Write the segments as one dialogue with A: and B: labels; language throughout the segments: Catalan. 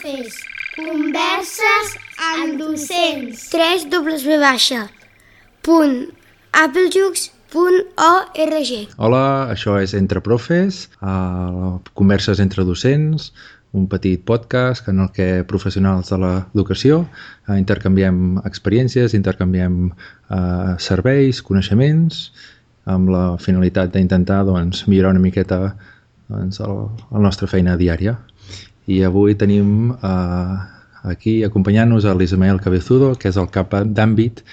A: profes. Converses amb docents.
B: www.applejux.org.
C: Hola, això és Entre Profes, converses entre docents, un petit podcast en el que professionals de l'educació intercanviem experiències, intercanviem serveis, coneixements, amb la finalitat d'intentar millorar una miqueta la nostra feina diària. I avui tenim aquí acompanyant-nos l'Ismael Cabezudo, que és el cap d'àmbit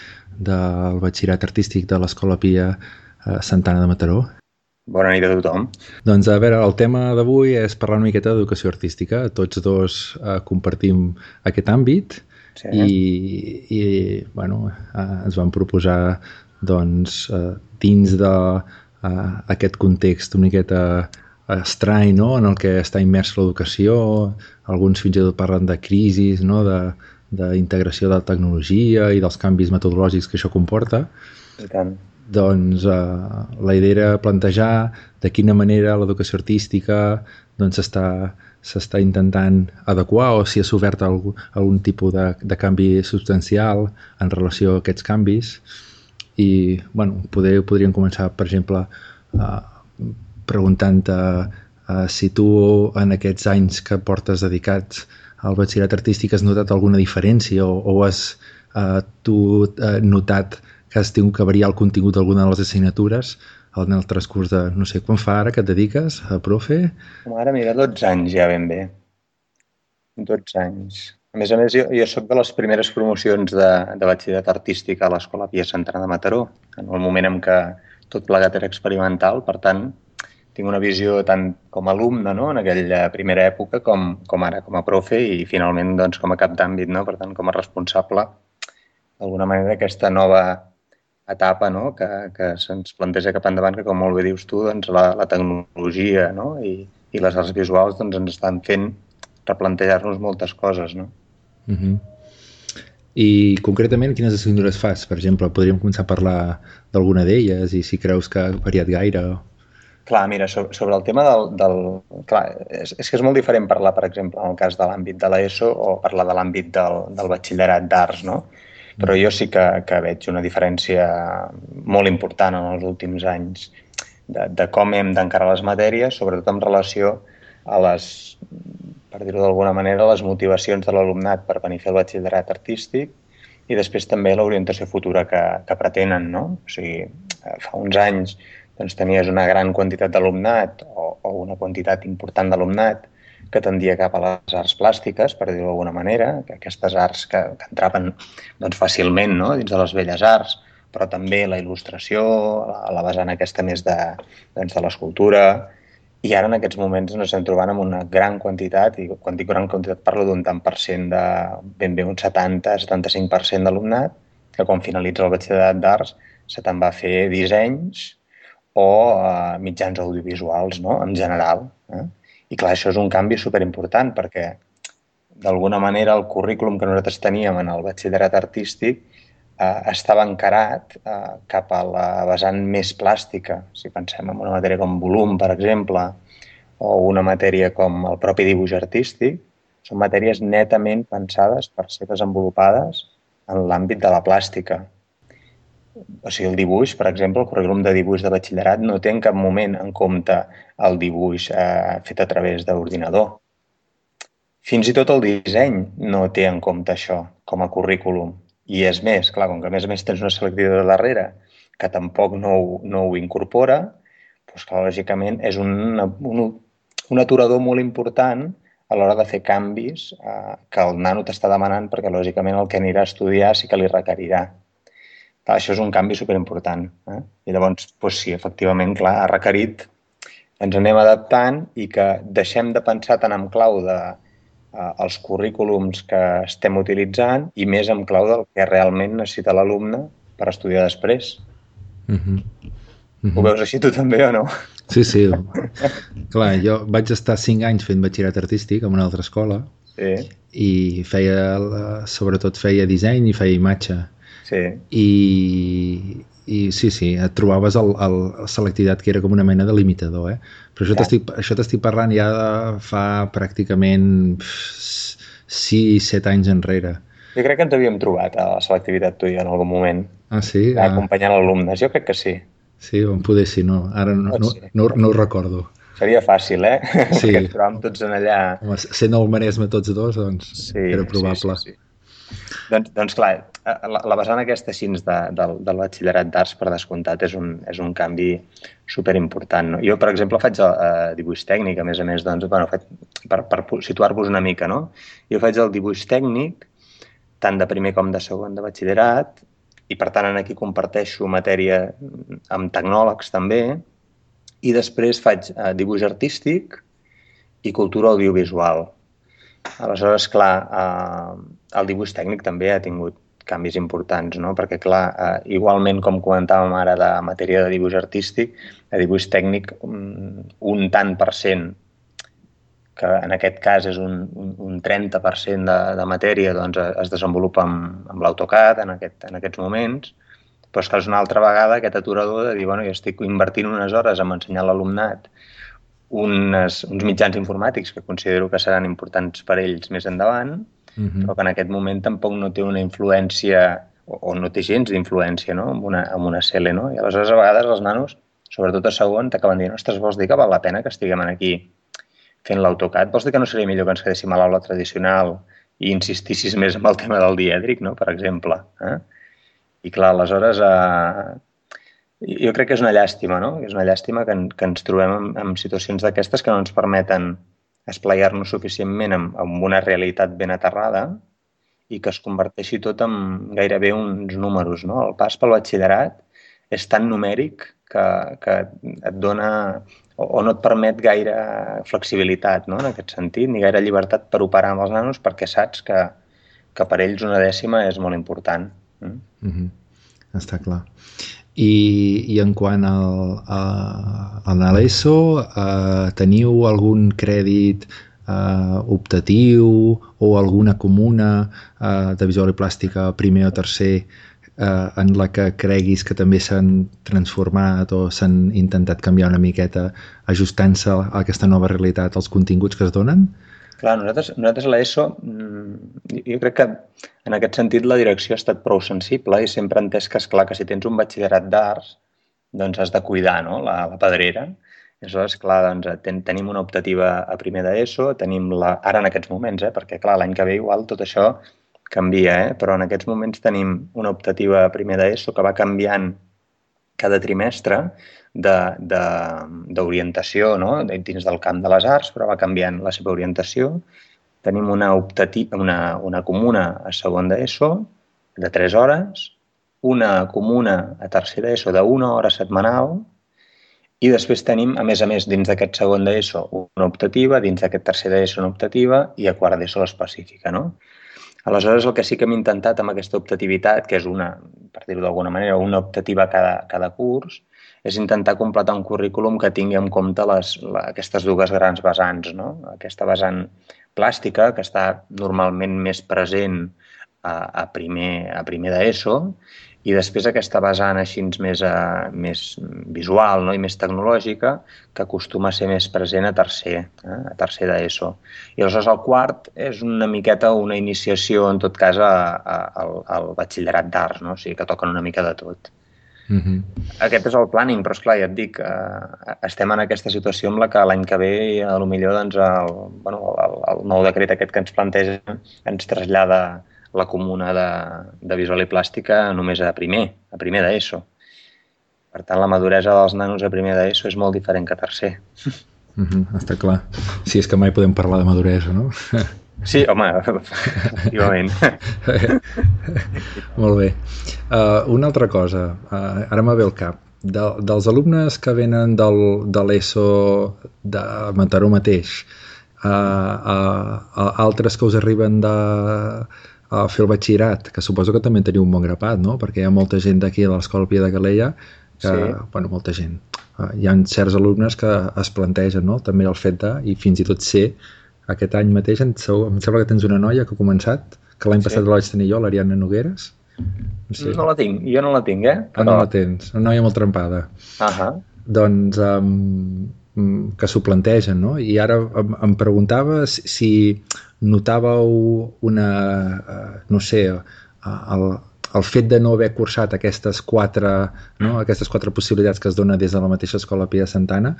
C: del batxillerat artístic de l'Escola Pia Santana de Mataró.
D: Bona nit a tothom.
C: Doncs a veure, el tema d'avui és parlar una miqueta d'educació artística. Tots dos compartim aquest àmbit, sí. i ens vam proposar dins d'aquest context una miqueta estrany, no? En el que està immers l'educació. Alguns fins i tot parlen de crisis, no? D'integració de la tecnologia i dels canvis metodològics que això comporta.
D: I tant.
C: Doncs la idea era plantejar de quina manera l'educació artística s'està intentant adequar o si ha sofert algun tipus de canvi substancial en relació a aquests canvis. I podríem començar, per exemple, preguntant-te si tu en aquests anys que portes dedicats al batxillerat artístic has notat alguna diferència o has tu notat que has tingut que variar el contingut d'alguna de les assignatures en el transcurs de, no sé, quan fa ara que et dediques a profe?
D: Ara, mira, 12 anys ja ben bé. 12 anys. A més, jo soc de les primeres promocions de batxillerat artístic a l'Escola Pia Santana de Mataró, en el moment en què tot plegat era experimental. Per tant, tinc una visió tant com a alumne, no?, en aquella primera època, com ara com a profe i finalment doncs, com a cap d'àmbit, no?, per tant, com a responsable d'alguna manera d'aquesta nova etapa, no?, que se'ns planteja cap endavant, que com molt bé dius tu, doncs, la tecnologia, no?, i les arts visuals doncs, ens estan fent replantejar-nos moltes coses, no?
C: I concretament quines assignatures fas? Per exemple, podríem començar a parlar d'alguna d'elles i si creus que ha variat gaire.
D: Clar, mira, sobre el tema Clar, és que és molt diferent parlar, per exemple, en el cas de l'àmbit de l'ESO o parlar de l'àmbit del batxillerat d'arts, no? Però jo sí que veig una diferència molt important en els últims anys de com hem d'encarar les matèries, sobretot en relació a les, per dir-ho d'alguna manera, les motivacions de l'alumnat per venir a fer el batxillerat artístic i després també l'orientació futura que pretenen, no? O sigui, fa uns anys doncs, tenies una gran quantitat d'alumnat o una quantitat important d'alumnat que tendia cap a les arts plàstiques, per dir-ho d'alguna manera, que aquestes arts que entraven doncs, fàcilment, no?, dins de les belles arts, però també la il·lustració, la vessant aquesta més de l'escultura. I ara en aquests moments ens estem trobant amb una gran quantitat, i quan dic gran quantitat parlo d'un tant per cent de ben bé un 70-75% d'alumnat, que quan finalitza el batxillerat d'arts se te'n va a fer dissenys o mitjans audiovisuals, no?, en general. I clar, això és un canvi superimportant perquè d'alguna manera el currículum que nosaltres teníem en el batxillerat artístic estava encarat cap a la vessant més plàstica. Si pensem en una matèria com volum, per exemple, o una matèria com el propi dibuix artístic, són matèries netament pensades per ser desenvolupades en l'àmbit de la plàstica. O sigui, el dibuix, per exemple, el currículum de dibuix de batxillerat no té en cap moment en compte el dibuix fet a través d'ordinador. Fins i tot el disseny no té en compte això com a currículum. I és més, clar, com que a més tens una selectivitat darrere que tampoc no ho incorpora, doncs clar, lògicament és un aturador molt important a l'hora de fer canvis que el nano t'està demanant perquè lògicament el que anirà a estudiar sí que li requerirà. Clar, això és un canvi superimportant. I llavors, doncs sí, efectivament, clar, ha requerit ens anem adaptant i que deixem de pensar tant en clau dels currículums que estem utilitzant i més en clau del que realment necessita l'alumne per estudiar després. Ho veus així tu també o no?
C: Sí. Clar, jo vaig estar 5 anys fent batxillerat artístic en una altra escola i sobretot feia disseny i feia imatge. I sí, et trobaves la selectivitat que era com una mena de limitador, Però això t'estic parlant ja de fa pràcticament 6-7 anys enrere.
D: Jo crec que ens havíem trobat a la selectivitat tu i jo en algun moment.
C: Ah, sí?
D: Acompanyant alumnes, jo crec que sí.
C: Sí, poder sí, no. Ara no ho recordo.
D: Seria fàcil,
C: Sí.
D: Perquè ens trobàvem tots en allà.
C: Home, sent al Maresme tots dos, doncs era probable.
D: Sí. Doncs clar, la vessant aquesta així del batxillerat d'arts, per descomptat, és un canvi superimportant. No? Jo, per exemple, faig dibuix tècnic, a més, doncs, per situar-vos una mica, no? Jo faig el dibuix tècnic, tant de primer com de segon de batxillerat, i per tant aquí comparteixo matèria amb tecnòlegs també, i després faig dibuix artístic i cultura audiovisual. Aleshores, clar, el dibuix tècnic també ha tingut canvis importants, no? Perquè, clar, igualment com comentàvem ara de matèria de dibuix artístic, de dibuix tècnic un tant per cent, que en aquest cas és un 30% de matèria, doncs es desenvolupa amb l'AutoCAD en aquests moments, però és que és una altra vegada aquest aturador de dir, bueno, jo estic invertint unes hores en ensenyar a l'alumnat uns mitjans informàtics que considero que seran importants per ells més endavant, però que en aquest moment tampoc no té una influència, o no té gens d'influència, no? amb una CL, no? I aleshores a vegades els nanos, sobretot a segon, t'acaben dient, ostres, vols dir que val la pena que estiguem aquí fent l'AutoCAD? Vols dir que no seria millor que ens quedéssim a l'aula tradicional i insistissis més en el tema del dièdric, no? Per exemple. I clar, aleshores jo crec que és una llàstima, no? És una llàstima que ens trobem en situacions d'aquestes que no ens permeten esplaiar-nos suficientment amb una realitat ben aterrada i que es converteixi tot en gairebé uns números, no? El pas pel batxillerat és tan numèric que et dona o no et permet gaire flexibilitat, no? En aquest sentit, ni gaire llibertat per operar amb els nanos perquè saps que per ells una dècima és molt important.
C: Està clar. I en quant a l'ESO, teniu algun crèdit optatiu o alguna comuna de visual i plàstica primer o tercer en la que creguis que també s'han transformat o s'han intentat canviar una miqueta ajustant-se a aquesta nova realitat als continguts que es donen?
D: Clar, nosaltres a l'ESO, jo crec que en aquest sentit la direcció ha estat prou sensible i sempre ha entès que, esclar, que si tens un batxillerat d'arts, doncs has de cuidar, no?, la pedrera. I aleshores, clar, doncs, tenim una optativa a primer d'ESO, tenim ara en aquests moments, perquè, clar, l'any que ve igual tot això canvia, però en aquests moments tenim una optativa a primer d'ESO que va canviant cada trimestre d'orientació, no? Dins del camp de les arts, però va canviant la seva orientació. Tenim una comuna a segon d'ESO de 3 hores, una comuna a tercer d'ESO d'1 hora setmanal i després tenim, a més, dins d'aquest segon d'ESO una optativa, dins d'aquest tercer d'ESO una optativa i a quart d'ESO l'específica, no? Aleshores, el que sí que hem intentat amb aquesta optativitat, que és per dir-ho d'alguna manera, una optativa cada curs, és intentar completar un currículum que tingui en compte aquestes dues grans vessants, no? Aquesta vessant plàstica, que està normalment més present a primer d'ESO, i després aquesta vessant així més visual, no? I més tecnològica, que acostuma a ser més present a tercer d'ESO. I aleshores el quart és una miqueta una iniciació, en tot cas, al batxillerat d'arts, no? O sigui, que toquen una mica de tot. Aquest és el planning, però esclar, ja et dic, estem en aquesta situació en la que l'any que ve potser doncs, el nou decret aquest que ens planteja ens trasllada la comuna de visual i plàstica només a primer d'ESO. Per tant, la maduresa dels nanos a primer d'ESO és molt diferent que a tercer.
C: Està clar. Sí, és que mai podem parlar de maduresa, no?
D: Sí, home, efectivament.
C: Molt bé. Una altra cosa, ara me ve al cap. Dels alumnes que venen de l'ESO de Mataró mateix, altres que us arriben a fer el batxillerat, que suposo que també teniu un bon grapat, no? Perquè hi ha molta gent d'aquí a l'Escola Pia de Calella que, sí. Bueno, molta gent. Hi ha certs alumnes que es plantegen, no? També el fet i fins i tot ser aquest any mateix, em sembla que tens una noia que ha començat, que l'any passat la vaig tenir jo, l'Ariadna Nogueres.
D: No la tinc, jo no la tinc,
C: Però... no la tens, una noia molt trempada. Doncs que s'ho plantegen, no? I ara em preguntava si notàveu no sé, el fet de no haver cursat aquestes quatre possibilitats que es dona des de la mateixa escola Pia de Santana,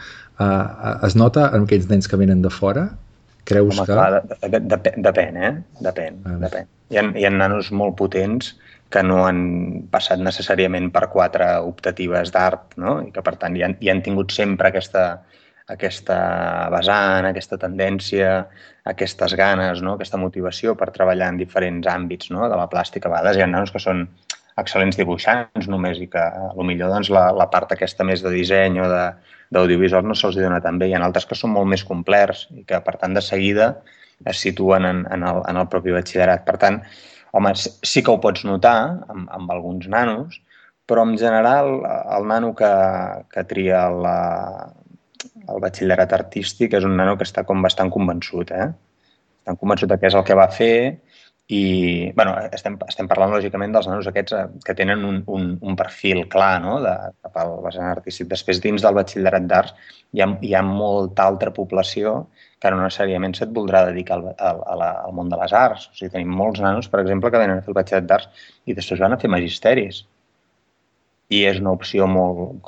C: es nota en aquells nens que venen de fora? Creus que...
D: Clar, depèn, Depèn. Hi ha nanos molt potents que no han passat necessàriament per 4 optatives d'art, no? I que, per tant, hi han tingut sempre aquesta vessant, aquesta tendència, aquestes ganes, no? Aquesta motivació per treballar en diferents àmbits, no? De la plàstica. A vegades hi ha nanos que són excel·lents dibuixants només i que potser doncs, la part aquesta més de disseny o d'audiovisual no se'ls dona tan bé. Hi ha altres que són molt més complerts i que, per tant, de seguida es situen en el propi batxillerat. Per tant, home, sí que ho pots notar amb alguns nanos, però en general el nano que tria el batxillerat artístic és un nano que està com bastant convençut, Estan convençut que és el que va fer i, bueno, estem parlant lògicament dels nanos aquests que tenen un perfil clar, no?, cap al vessant artístic. Després, dins del batxillerat d'arts, hi ha molta altra població que no necessàriament se't voldrà dedicar al món de les arts. O sigui, tenim molts nanos, per exemple, que venen a fer el batxillerat d'arts i després van a fer magisteris. I és una opció molt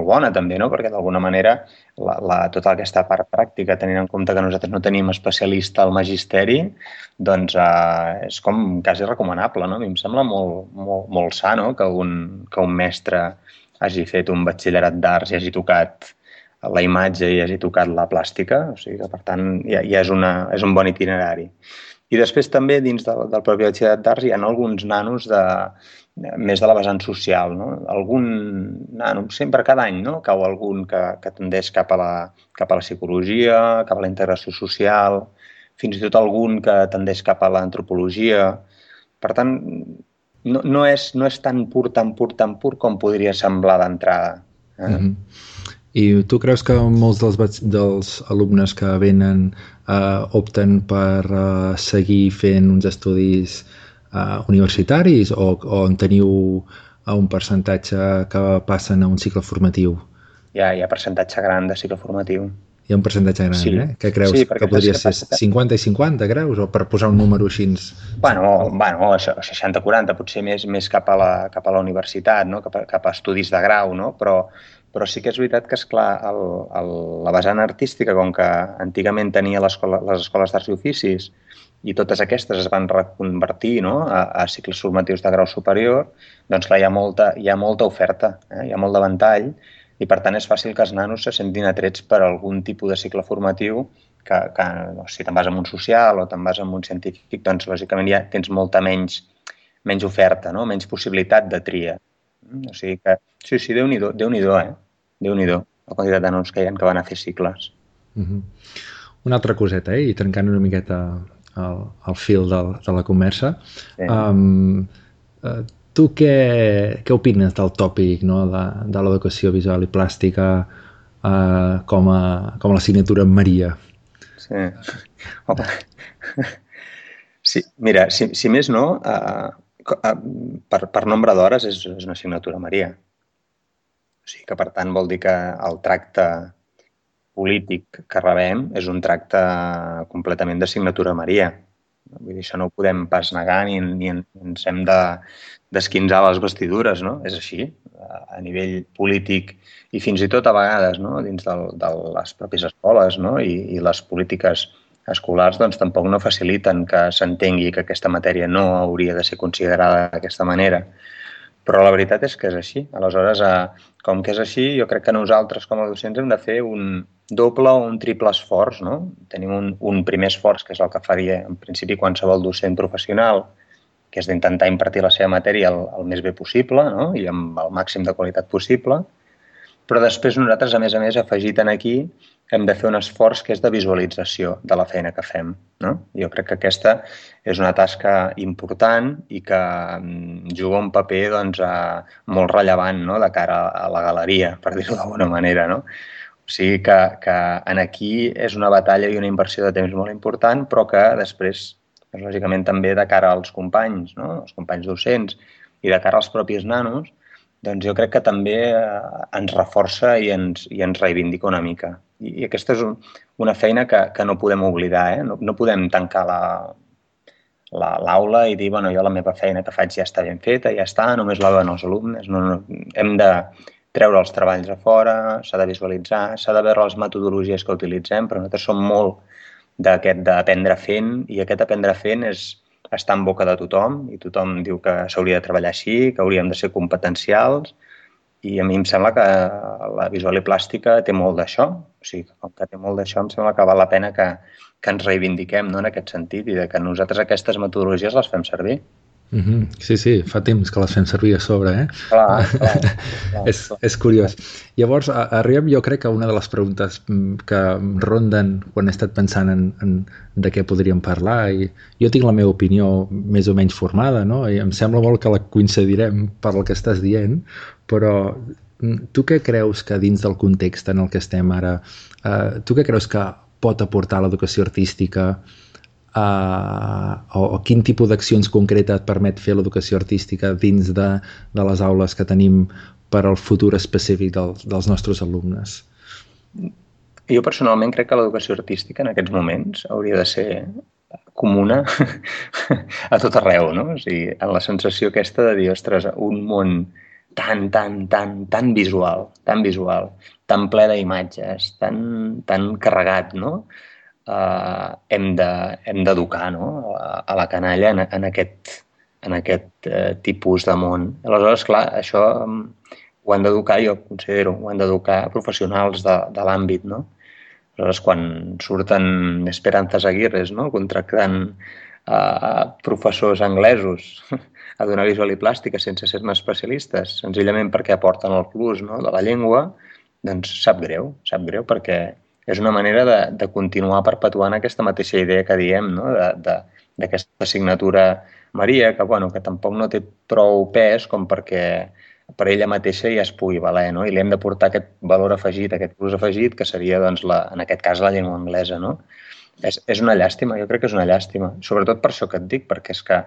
D: bona, també, no? Perquè, d'alguna manera, tota aquesta part pràctica, tenint en compte que nosaltres no tenim especialista al magisteri, doncs és com quasi recomanable, no? A mi em sembla molt sa, no?, que un mestre hagi fet un batxillerat d'arts i hagi tocat la imatge i hagi tocat la plàstica. O sigui que, per tant, ja és un bon itinerari. I després també, dins del propi batxillerat d'arts, hi ha alguns nanos més de la vessant social, no? Algun nano, sempre cada any, no?, cau algun que tendeix cap a la psicologia, cap a la integració social, fins i tot algun que tendeix cap a l'antropologia. Per tant, no és tan pur com podria semblar d'entrada.
C: I tu creus que molts dels alumnes que venen opten per seguir fent uns estudis universitaris o en teniu un percentatge que passen a un cicle formatiu?
D: Hi ha percentatge gran de cicle formatiu.
C: Hi ha un percentatge gran,
D: sí.
C: Què creus? Sí, que podria ser 50 i 50, creus? O per posar un número així?
D: Bueno, 60-40, potser més cap a la universitat, no? Cap a estudis de grau, no? Però sí que és veritat que, esclar, la vessant artística, com que antigament tenia les escoles d'arts i oficis i totes aquestes es van reconvertir, no?, a cicles formatius de grau superior, doncs clar, hi ha molta oferta, hi ha molt de ventall i, per tant, és fàcil que els nanos se sentin atrets per algun tipus de cicle formatiu que si te'n vas en un social o te'n vas en un científic, doncs, lògicament, ja tens molta menys oferta, no?, menys possibilitat de tria. O sigui que, sí, Déu-n'hi-do, Déu-n'hi-do, la quantitat de nanos que hi ha que van a fer cicles.
C: Una altra coseta, i trencant una miqueta el fil de la conversa. Sí. Tu què opines del tòpic, no?, de l'educació visual i plàstica com a l'assignatura Maria?
D: Sí. Home. Sí, mira, si més no, per nombre d'hores és una assignatura Maria. O sigui que, per tant, vol dir que el tracte polític que rebem és un tracte completament d'assignatura Maria. Vull dir, això no ho podem pas negar ni ens hem d'esquinçar les vestidures, no? És així, a nivell polític i fins i tot a vegades, no?, dins de les pròpies escoles, no?, i les polítiques escolars doncs tampoc no faciliten que s'entengui que aquesta matèria no hauria de ser considerada d'aquesta manera. Però la veritat és que és així. Aleshores, com que és així, jo crec que nosaltres com a docents hem de fer un doble o un triple esforç, no? Tenim un primer esforç, que és el que faria en principi qualsevol docent professional, que és d'intentar impartir la seva matèria el més bé possible, no?, i amb el màxim de qualitat possible. Però després nosaltres, a més, afegit aquí, hem de fer un esforç que és de visualització de la feina que fem, no? Jo crec que aquesta és una tasca important i que juga un paper doncs, molt rellevant, no?, de cara a la galeria, per dir-ho d'alguna manera, no? O sigui que aquí és una batalla i una inversió de temps molt important, però que després, lògicament, també de cara als companys, no?, els companys docents i de cara als propis nanos, doncs jo crec que també ens reforça i ens reivindica una mica. I aquesta és una feina que no podem oblidar, no podem tancar l'aula i dir, bueno, jo la meva feina que faig ja està ben feta, ja està, només la veuen els alumnes. No. Hem de treure els treballs a fora, s'ha de visualitzar, s'ha de veure les metodologies que utilitzem, però nosaltres som molt d'aquest d'aprendre fent, i aquest aprendre fent està en boca de tothom, i tothom diu que s'hauria de treballar així, que hauríem de ser competencials, i a mi em sembla que la visual i plàstica té molt d'això. O sigui, com que té molt d'això, em sembla que val la pena que ens reivindiquem, no?, en aquest sentit, i que nosaltres aquestes metodologies les fem servir.
C: Sí, fa temps que les fem servir a sobre,
D: Clar.
C: És curiós. Llavors, arribem, jo crec, a una de les preguntes que ronden quan he estat pensant en de què podríem parlar, i jo tinc la meva opinió més o menys formada, no? I em sembla molt que la coincidirem per el que estàs dient, però tu què creus que dins del context en el que estem ara, tu què creus que pot aportar l'educació artística, o quin tipus d'accions concretes et permet fer l'educació artística dins de les aules que tenim per al futur específic dels nostres alumnes?
D: Jo personalment crec que l'educació artística en aquests moments hauria de ser comuna a tot arreu, no? O sigui, en la sensació aquesta de dir, ostres, un món tan visual, tan ple d'imatges, tan carregat, no? Hem d'educar, no?, a la canalla en aquest tipus de món. Aleshores, clar, això ho han d'educar, jo considero, ho han d'educar professionals de l'àmbit, no? Aleshores, quan surten Esperanzas Aguirres, no?, contractant professors anglesos a donar visual i plàstica sense ser-ne especialistes, senzillament perquè aporten el plus, no?, de la llengua, doncs sap greu perquè és una manera de continuar perpetuant aquesta mateixa idea que diem, no?, d'aquesta assignatura Maria, que tampoc no té prou pes com perquè per ella mateixa ja es pugui valer, no? I li hem de portar aquest valor afegit, aquest plus afegit, que seria, doncs, en aquest cas, la llengua anglesa, no? És una llàstima, jo crec que és una llàstima. Sobretot per això que et dic, perquè és que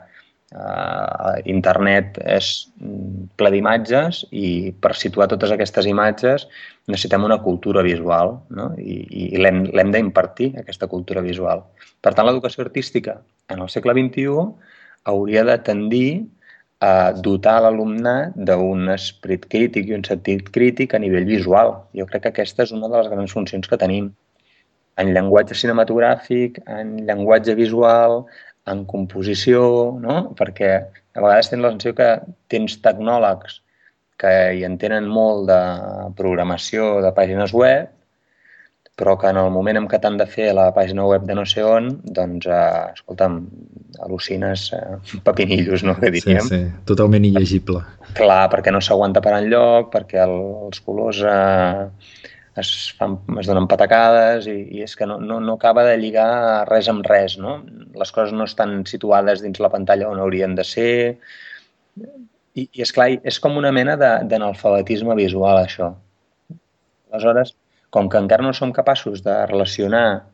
D: internet és ple d'imatges i per situar totes aquestes imatges necessitem una cultura visual, no? I l'hem d'impartir, aquesta cultura visual. Per tant, l'educació artística en el segle XXI hauria de tendir a dotar l'alumnat d'un esperit crític i un sentit crític a nivell visual. Jo crec que aquesta és una de les grans funcions que tenim en llenguatge cinematogràfic, en llenguatge visual, en composició, no? Perquè a vegades tens la sensació que tens tecnòlegs que hi entenen molt de programació de pàgines web, però que en el moment en què t'han de fer la pàgina web de no sé on, doncs, escolta'm, al·lucines pepinillos, no?, que diríem.
C: Sí, totalment il·legible.
D: Clar, perquè no s'aguanta per enlloc, perquè els colors es donen patacades i és que no acaba de lligar res amb res, no? Les coses no estan situades dins la pantalla on haurien de ser. I és clar, és com una mena d'analfabetisme visual, això. Aleshores, com que encara no som capaços de relacionar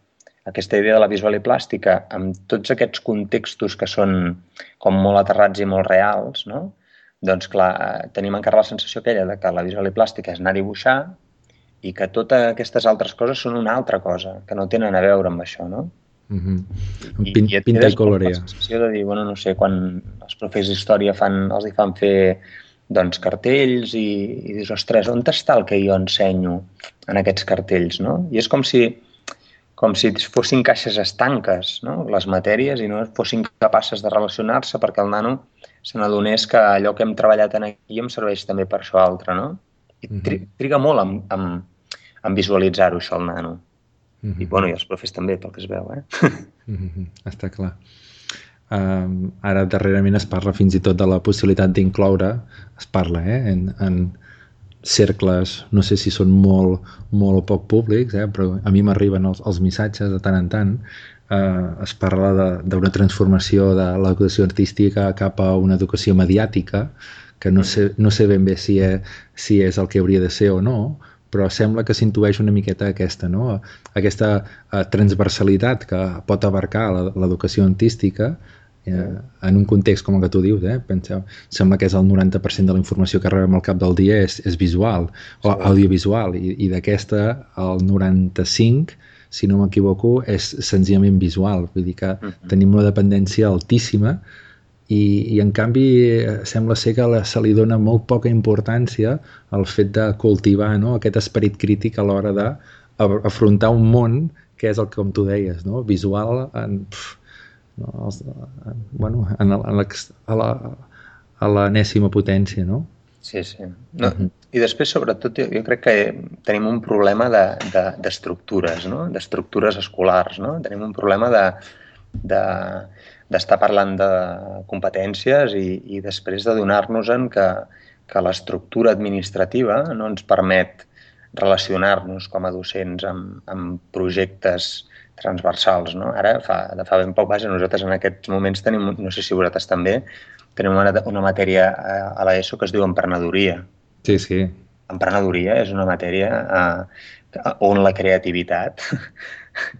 D: aquesta idea de la visual i plàstica amb tots aquests contextos que són com molt aterrats i molt reals, no? Doncs clar, tenim encara la sensació aquella de que la visual i plàstica és anar a dibuixar i que totes aquestes altres coses són una altra cosa, que no tenen a veure amb això, no?
C: Pinta i colorea.
D: La sensació de dir, bueno, no sé, quan els professors d'història els hi fan fer doncs, cartells i dius, ostres, on està el que jo ensenyo en aquests cartells, no? I és com si fossin caixes estanques, no?, les matèries, i no fossin capaces de relacionar-se perquè el nano se n'adonés que allò que hem treballat aquí em serveix també per això altre, no? I triga molt en visualitzar-ho, això, el nano. I, bueno, i els profes també, pel que es veu,
C: Està clar. Ara, darrerament, es parla fins i tot de la possibilitat d'incloure, es parla, en cercles, no sé si són molt o poc públics, però a mi m'arriben els missatges de tant en tant, es parla d'una transformació de l'educació artística cap a una educació mediàtica, que no sé ben bé si és el que hauria de ser o no, però sembla que s'intueix una miqueta aquesta, no? Aquesta transversalitat que pot abarcar l'educació artística En un context com el que tu dius, penseu, sembla que és el 90% de la informació que rebem al cap del dia és visual o audiovisual, i d'aquesta el 95%, si no m'equivoco, és senzillament visual. Vull dir que tenim una dependència altíssima i en canvi sembla ser que se li dona molt poca importància al fet de cultivar, no?, aquest esperit crític a l'hora d'afrontar un món que és el que, com tu deies, no?, visual a l'enèsima potència, no?
D: Sí. No, i després, sobretot, jo crec que tenim un problema d'estructures, no?, d'estructures escolars, no? Tenim un problema d'estar parlant de competències i després d'adonar-nos-en que l'estructura administrativa no ens permet relacionar-nos com a docents amb projectes transversals, no? Ara, de fa ben poc, nosaltres en aquests moments tenim, no sé si vosaltres també, tenim una matèria a l'ESO que es diu emprenedoria.
C: Sí.
D: Emprenedoria és una matèria on la creativitat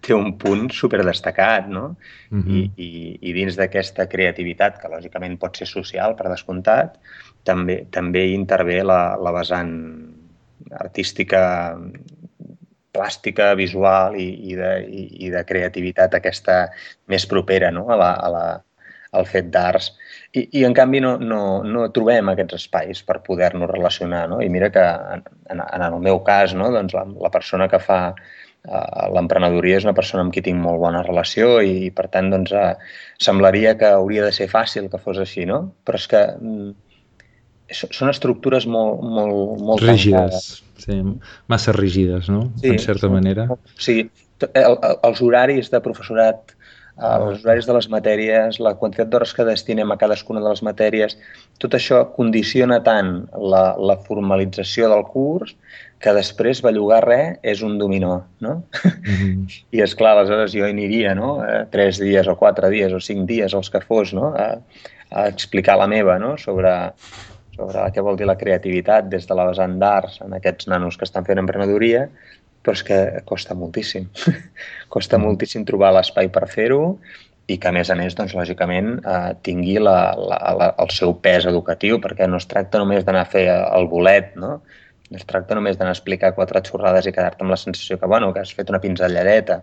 D: té un punt superdestacat, no? I dins d'aquesta creativitat, que lògicament pot ser social, per descomptat, també intervé la vessant artística, plàstica, visual i de creativitat aquesta més propera, no?, al fet d'arts. I en canvi no trobem aquests espais per poder-nos relacionar, no? I mira que en el meu cas, no?, doncs la persona que fa l'emprenedoria és una persona amb qui tinc molt bona relació i per tant doncs semblaria que hauria de ser fàcil que fos així, no? Però és que són estructures molt
C: rígides, sí, massa rígides, no? Sí, en certa manera.
D: Sí, els horaris de professorat, els horaris de les matèries, la quantitat d'hores que destinem a cadascuna de les matèries, tot això condiciona tant la formalització del curs que després bellugar res és un dominó, no? I esclar, aleshores jo aniria, no?, 3 dies o 4 dies o 5 dies, els que fos, no?, a explicar la meva, no?, sobre què vol dir la creativitat des de la vessant d'arts en aquests nanos que estan fent emprenedoria, però és que costa moltíssim. Costa moltíssim trobar l'espai per fer-ho i que, a més, doncs, lògicament, tingui el seu pes educatiu, perquè no es tracta només d'anar a fer el bolet, no? No es tracta només d'anar a explicar 4 xorrades i quedar-te amb la sensació que has fet una pinzelladeta.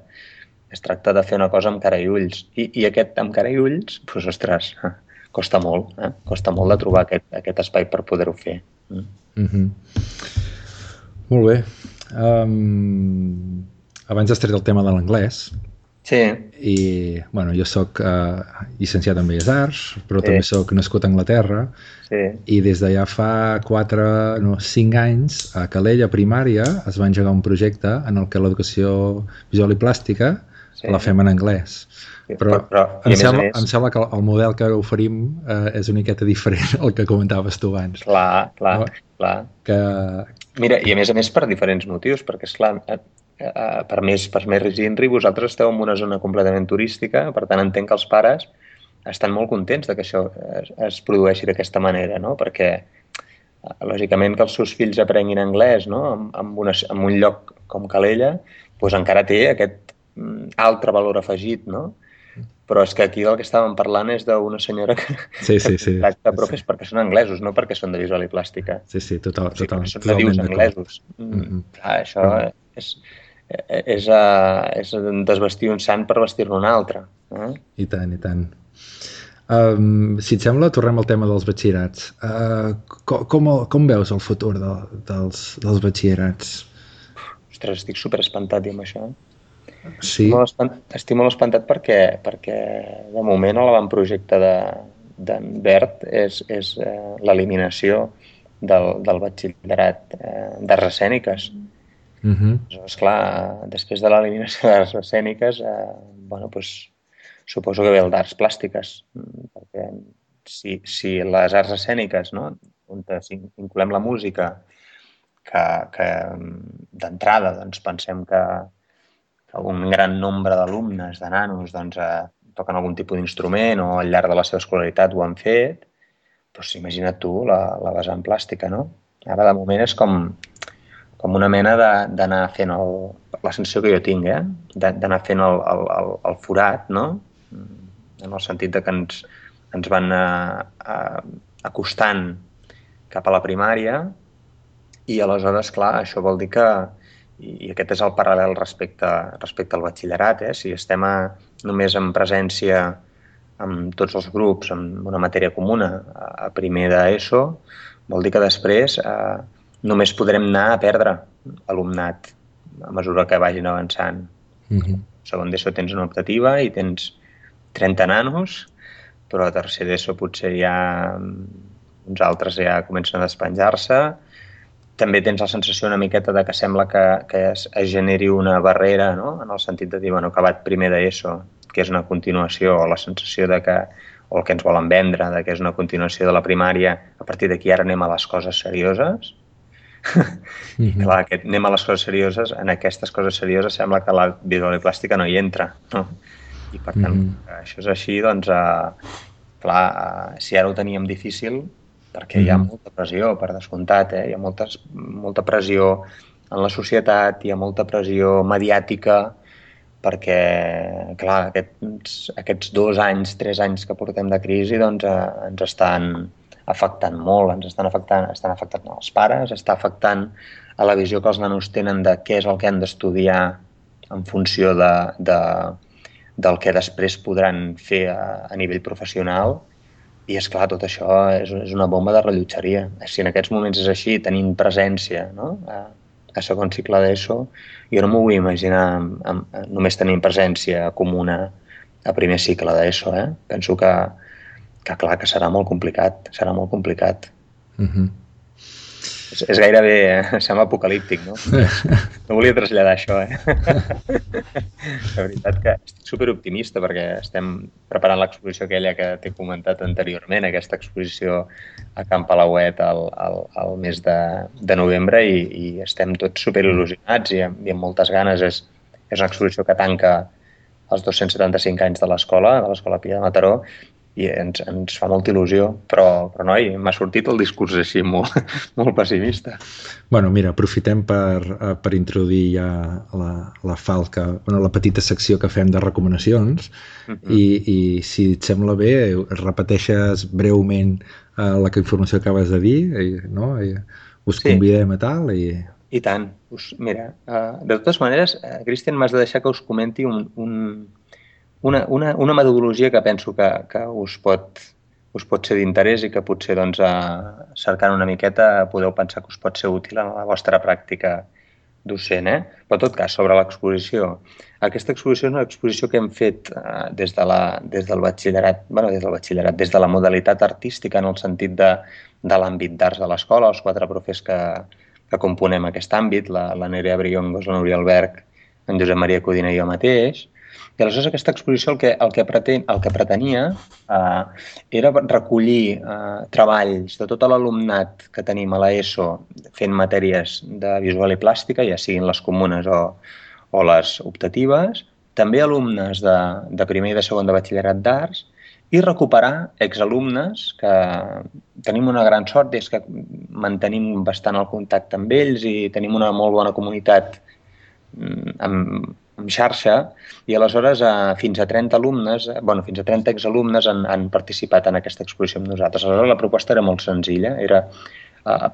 D: Es tracta de fer una cosa amb cara i ulls. I aquest amb cara i ulls, doncs, ostres, costa molt. Costa molt de trobar aquest espai per poder-ho fer.
C: Molt bé. Abans has tret el tema de l'anglès.
D: Sí.
C: I, bueno, jo soc llicenciat en Belles Arts, però també soc nascut a Anglaterra.
D: Sí.
C: I des de ja fa 5 anys, a Calella, a primària, es va engegar un projecte en el que l'educació visual i plàstica la fem en anglès. Però em sembla que el model que ara oferim és una miqueta diferent al que comentaves tu abans.
D: Clar. Mira, i a més per diferents motius, perquè, esclar, per més Rizindri, vosaltres esteu en una zona completament turística, per tant entenc que els pares estan molt contents que això es produeixi d'aquesta manera, no? Perquè, lògicament, que els seus fills aprenguin anglès, no?, en un lloc com Calella, doncs encara té aquest altre valor afegit, no? Però és que aquí del que estàvem parlant és d'una senyora que tracta profes perquè són anglesos, no perquè són de visual i plàstica.
C: Sí, totalment.
D: Són nadius anglesos. Això és desvestir un sant per vestir-ne un altre.
C: I tant. Si et sembla, tornem al tema dels batxillerats. Com veus el futur dels batxillerats?
D: Ostres, estic superespantat amb això.
C: Sí.
D: Estic molt espantat perquè de moment l'avantprojecte d'en Bert és l'eliminació del batxillerat d'arts escèniques. Esclar, després de l'eliminació d'arts escèniques, suposo que ve el d'arts plàstiques, perquè si les arts escèniques, no?, on incloem la música, que d'entrada doncs, pensem que un gran nombre d'alumnes, de nanos, doncs, toquen algun tipus d'instrument o al llarg de la seva escolaritat ho han fet, doncs imagina't tu la vessant plàstica, no? Ara, de moment, és com una mena d'anar fent la sensació que jo tinc, d'anar fent el forat, no?, en el sentit de que ens van acostant cap a la primària i aleshores, clar, això vol dir que, i aquest és el paral·lel respecte al batxillerat, si estem només en presència amb tots els grups, amb una matèria comuna a primer d'ESO, vol dir que després només podrem anar a perdre alumnat a mesura que vagin avançant. Segon d'ESO tens una optativa i tens 30 nanos, però a tercer d'ESO potser ja uns altres ja comencen a despenjar-se. També tens la sensació una miqueta de que sembla que es generi una barrera, no? En el sentit de dir, bueno, acabat primer d'ESO, que és una continuació, o la sensació de que, o el que ens volen vendre, de que és una continuació de la primària, a partir d'aquí ara anem a les coses serioses. I clar, anem a les coses serioses, en aquestes coses serioses sembla que la visual plàstica no hi entra, no? I per tant, això és així, doncs, clar, si ara ho teníem difícil, perquè hi ha molta pressió, per descomptat, hi ha molta pressió en la societat, hi ha molta pressió mediàtica, perquè, clar, aquests 2 anys, 3 anys que portem de crisi, doncs, ens estan afectant molt, estan afectant els pares, està afectant a la visió que els nanos tenen de què és el que han d'estudiar en funció del que després podran fer a nivell professional. I, esclar, tot això és una bomba de rellotgeria. Si en aquests moments és així, tenint presència, no? A segon cicle d'ESO, jo no m'ho vull imaginar només tenint presència comuna a primer cicle d'ESO. Penso que clar, que serà molt complicat. Serà molt complicat. És gairebé, sembla apocalíptic, no? No volia traslladar això, La veritat que estic superoptimista perquè estem preparant l'exposició aquella que t'he comentat anteriorment, aquesta exposició a Can Palauet al mes de novembre i estem tots superil·lusionats i amb moltes ganes. És una exposició que tanca els 275 anys de l'Escola Pia de Mataró, i ens fa molta il·lusió, però noi, m'ha sortit el discurs així molt pessimista.
C: Bueno, mira, aprofitem per introduir ja la falca, la petita secció que fem de recomanacions i si et sembla bé, repeteixes breument la informació que acabes de dir, no? Us convidem a tal i...
D: I tant. Mira, de totes maneres, Cristian, m'has de deixar que us comenti una metodologia que penso que us pot ser d'interès i que potser, doncs, cercant una miqueta podeu pensar que us pot ser útil en la vostra pràctica docent, Però, en tot cas, sobre l'exposició. Aquesta exposició és una exposició que hem fet des del batxillerat, des de la modalitat artística, en el sentit de l'àmbit d'arts de l'escola, els 4 profes que componem aquest àmbit, la Nerea Briongos, la Núria Alberg, en Josep Maria Codina i jo mateix. I aleshores aquesta exposició el que pretenia era recollir treballs de tot l'alumnat que tenim a l'ESO fent matèries de visual i plàstica, ja siguin les comunes o les optatives, també alumnes de primer i de segon de batxillerat d'arts, i recuperar exalumnes que tenim una gran sort, és que mantenim bastant el contacte amb ells i tenim una molt bona comunitat amb xarxa, i aleshores fins a 30 alumnes, fins a 30 exalumnes han participat en aquesta exposició amb nosaltres. Aleshores la proposta era molt senzilla, era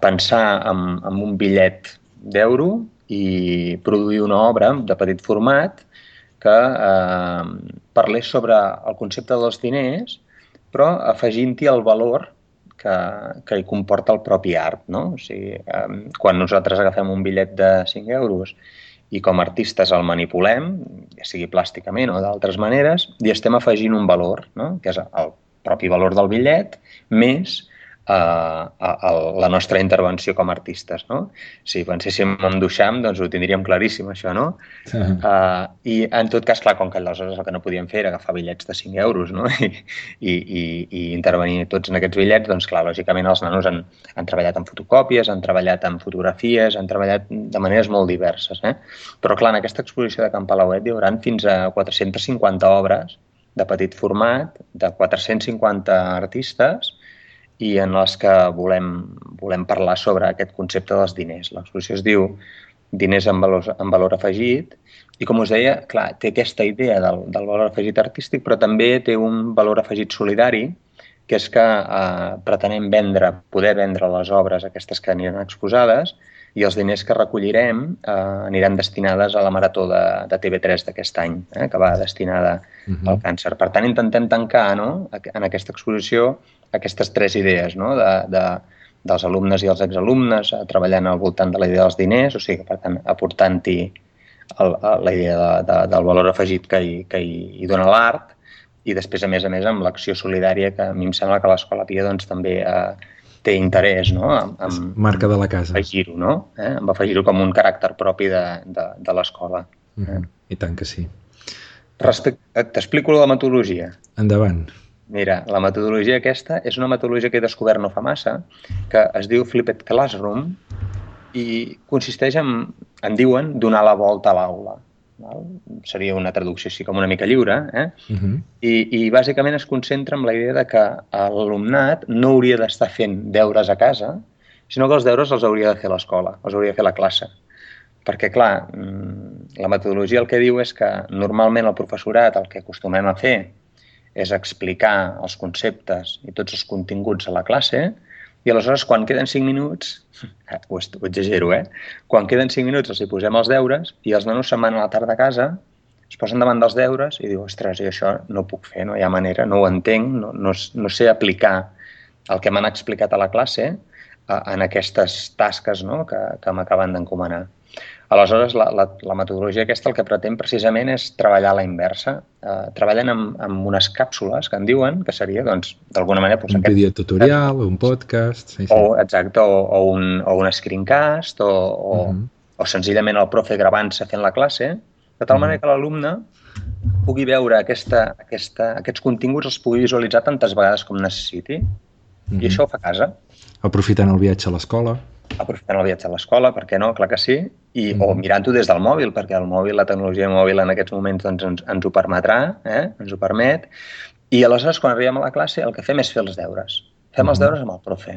D: pensar en un bitllet d'euro i produir una obra de petit format que parlés sobre el concepte dels diners, però afegint-hi el valor que hi comporta el propi art, no? O sigui, quan nosaltres agafem un bitllet de 5 euros i com a artistes el manipulem, ja sigui plàsticament o d'altres maneres, i estem afegint un valor, no? Que és el propi valor del bitllet, més la nostra intervenció com a artistes, no? Si penséssim en Duchamp, doncs ho tindríem claríssim, això, no? I en tot cas, clar, com que aleshores el que no podíem fer era agafar bitllets de 5 euros, no? I intervenir tots en aquests bitllets, doncs clar, lògicament els nanos han treballat en fotocòpies, han treballat en fotografies, han treballat de maneres molt diverses, Però clar, en aquesta exposició de Can Palauet hi haurà fins a 450 obres de petit format, de 450 artistes, i en les que volem parlar sobre aquest concepte dels diners. L'exposició es diu diners amb valor afegit, i com us deia, clar, té aquesta idea del valor afegit artístic, però també té un valor afegit solidari, que és que pretenem poder vendre les obres aquestes que aniran exposades, i els diners que recollirem aniran destinades a la marató de TV3 d'aquest any, que va destinada al càncer. Per tant, intentem tancar, no, en aquesta exposició aquestes 3 idees, no, dels alumnes i els exalumnes treballant al voltant de la idea dels diners, o sigui, per tant, aportant-hi la idea del valor afegit que hi dona l'art, i després, a més, amb l'acció solidària, que a mi em sembla que l'Escola Pia doncs, també té interès, no?
C: Marca de la casa.
D: Afegir-ho, no? Amb afegir-ho com un caràcter propi de l'escola.
C: I tant que sí.
D: T'explico la metodologia.
C: Endavant.
D: Mira, la metodologia aquesta és una metodologia que he descobert no fa massa, que es diu Flipped Classroom, i consisteix en diuen, donar la volta a l'aula. Seria una traducció així com una mica lliure, I bàsicament es concentra en la idea de que l'alumnat no hauria d'estar fent deures a casa, sinó que els deures els hauria de fer l'escola, els hauria de fer la classe. Perquè, clar, la metodologia el que diu és que normalment el professorat el que acostumem a fer és explicar els conceptes i tots els continguts a la classe, i aleshores, quan queden 5 minuts, ho exagero, quan queden 5 minuts els hi posem els deures i els nanos se'n van a la tarda a casa, es posen davant dels deures i diu, ostres, jo això no ho puc fer, no hi ha manera, no ho entenc, no sé aplicar el que m'han explicat a la classe en aquestes tasques, no, que m'acaben d'encomanar. Aleshores, la metodologia aquesta el que pretén precisament és treballar a la inversa. Treballen amb unes càpsules que en diuen, que seria, doncs, d'alguna manera...
C: Un videotutorial, un podcast...
D: Exacte, o un screencast, o senzillament el profe gravant-se fent la classe, de tal manera que l'alumne pugui veure aquests continguts, els pugui visualitzar tantes vegades com necessiti, i això ho fa a casa.
C: Aprofitant el viatge a l'escola.
D: Aprofitant el viatge a l'escola, per què no? Clar que sí. O mirant-ho des del mòbil, perquè el mòbil, la tecnologia mòbil en aquests moments doncs, ens ho permetrà, ens ho permet. I aleshores, quan arribem a la classe, el que fem és fer els deures. Fem els deures amb el profe.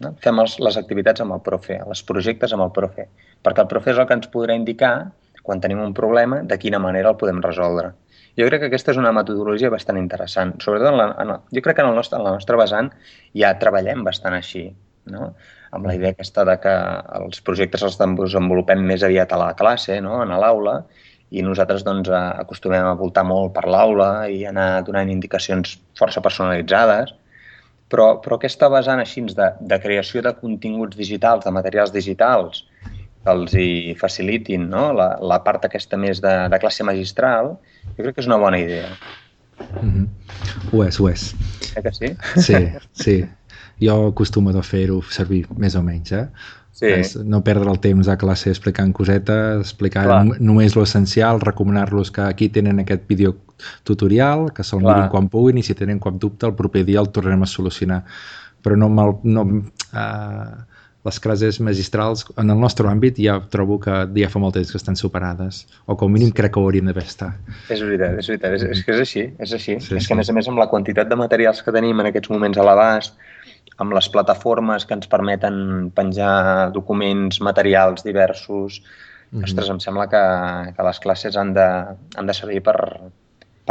D: No? Fem les activitats amb el profe, els projectes amb el profe. Perquè el profe és el que ens podrà indicar, quan tenim un problema, de quina manera el podem resoldre. Jo crec que aquesta és una metodologia bastant interessant. Sobretot, jo crec que en la nostra vessant ja treballem bastant així, no? Amb la idea aquesta de que els projectes els desenvolupem més aviat a la classe, no? A l'aula, i nosaltres doncs, acostumem a voltar molt per l'aula i anar donant indicacions força personalitzades, però aquesta vessant així de creació de continguts digitals, de materials digitals, que els hi facilitin, no? La part aquesta més de classe magistral, jo crec que és una bona idea.
C: Ho és.
D: Que sí?
C: Sí. Jo acostumo a fer-ho servir més o menys,
D: Sí.
C: No perdre el temps a classe explicant cosetes, explicar només l'essencial, recomanar-los que aquí tenen aquest videotutorial, que se'l mirin quan puguin, i si tenen cap dubte el proper dia el tornarem a solucionar. Però les classes magistrals, en el nostre àmbit, ja trobo que ja fa molt temps que estan superades, o com a mínim crec que ho haurien d'haver estat.
D: És veritat. És que és així. És que, a més, amb la quantitat de materials que tenim en aquests moments a l'abast, amb les plataformes que ens permeten penjar documents, materials diversos, ostres, em sembla que les classes han de servir per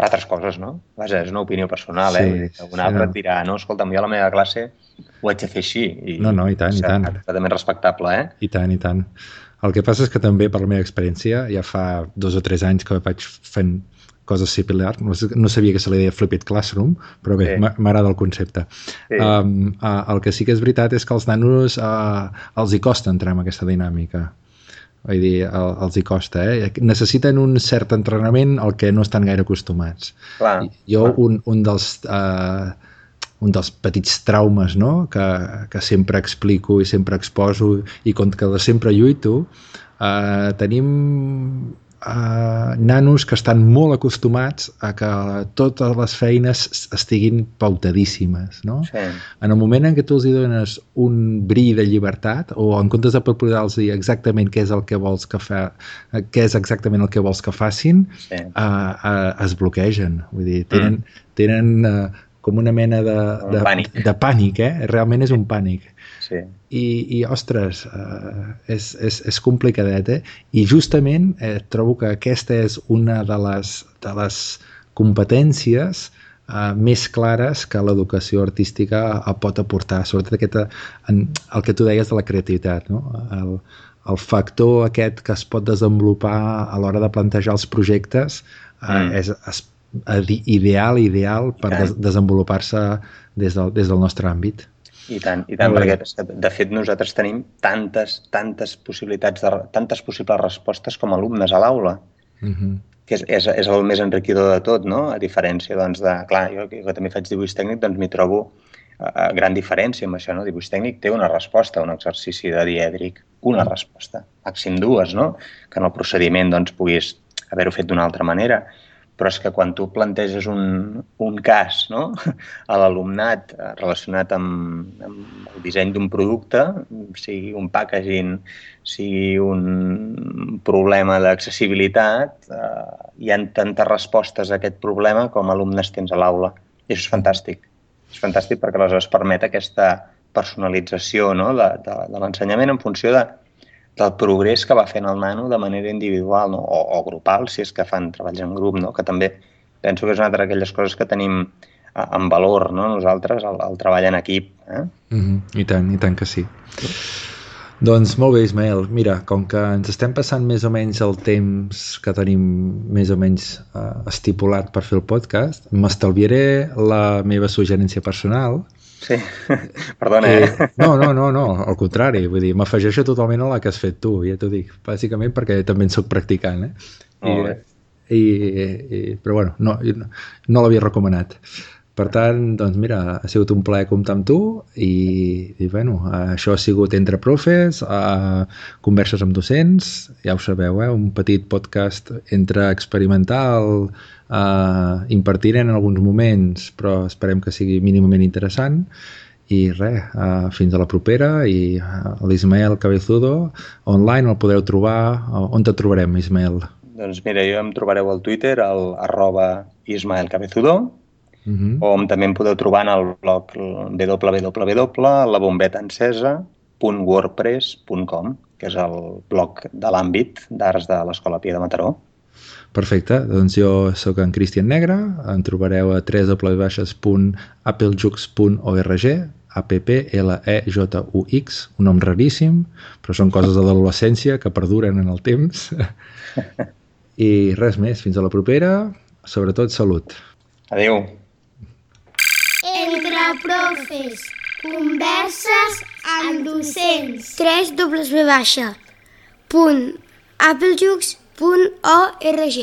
D: altres coses, no? Vaja, és una opinió personal, Un altre et dirà, no, escolta'm, jo a la meva classe ho haig de fer així.
C: No, i tant.
D: Completament respectable,
C: I tant. El que passa és que també, per la meva experiència, ja fa 2 o 3 anys que vaig fent coses similars, no sabia que se li deia Flipped Classroom, però bé, m'agrada el concepte. Sí. El que sí que és veritat és que als nanos els hi costa entrar en aquesta dinàmica. Vull dir, els hi costa, Necessiten un cert entrenament al que no estan gaire acostumats. Un dels petits traumes, no?, que sempre explico i sempre exposo i contra que sempre lluito, tenim nanos que estan molt acostumats a que totes les feines estiguin pautadíssimes, no?
D: Sí.
C: En el moment en què tu els dones un bri de llibertat, o en comptes de proposar-los exactament què és exactament el que vols que facin, es bloquegen. Vull dir, tenen com una mena de pànic, realment és un pànic.
D: Sí.
C: I ostres, és complicadet, I justament trobo que aquesta és una de les competències més clares que l'educació artística pot aportar, sobretot el que tu deies de la creativitat, no? El factor aquest que es pot desenvolupar a l'hora de plantejar els projectes és ideal per desenvolupar-se des del nostre àmbit.
D: I tant, perquè de fet nosaltres tenim tantes possibilitats, tantes possibles respostes com a alumnes a l'aula, que és el més enriquidor de tot, no? A diferència, doncs, clar, jo que també faig dibuix tècnic, doncs m'hi trobo gran diferència amb això, no? Dibuix tècnic té una resposta, un exercici de dièdric, una resposta, màxim dues, no? Que en el procediment, doncs, puguis haver-ho fet d'una altra manera. Però és que quan tu planteges un cas, no? A l'alumnat relacionat amb el disseny d'un producte, sigui un packaging, sigui un problema d'accessibilitat, hi ha tantes respostes a aquest problema com alumnes tens a l'aula. I això és fantàstic. És fantàstic perquè aleshores permet aquesta personalització, no? de l'ensenyament en funció del progrés que va fent el nano de manera individual, no? o grupal, si és que fan treballs en grup, no? Que també penso que és una d'aquelles coses que tenim en valor, no? Nosaltres, el treball en equip.
C: I tant que sí. Doncs molt bé, Ismael. Mira, com que ens estem passant més o menys el temps que tenim més o menys estipulat per fer el podcast, m'estalviaré la meva suggerència personal.
D: Sí, perdona,
C: No, al contrari, vull dir, m'afegeixo totalment a la que has fet tu, ja t'ho dic, bàsicament perquè també en soc practicant,
D: Molt bé.
C: Però bueno, no l'havia recomanat. Per tant, doncs mira, ha sigut un plaer comptar amb tu i bueno, això ha sigut Entre Profes, converses amb docents, ja ho sabeu, un petit podcast entre experimental, impartirem en alguns moments, però esperem que sigui mínimament interessant. I res, fins a la propera. I l'Ismael Cabezudo, online el podeu trobar. On te trobarem, Ismael?
D: Doncs mira, jo em trobareu al Twitter, al @IsmaelCabezudo, o també em podeu trobar en el blog www.labombetencesa.wordpress.com, que és el blog de l'àmbit d'arts de l'Escola Pia de Mataró.
C: Perfecte, doncs jo sóc en Cristian Negre, em trobareu a www.applejux.org, APPLEJUX, un nom raríssim, però són coses de l'adolescència que perduren en el temps. I res més, fins a la propera, sobretot salut.
D: Adéu.
A: Entre Profes, converses amb docents.
B: www.applejux.org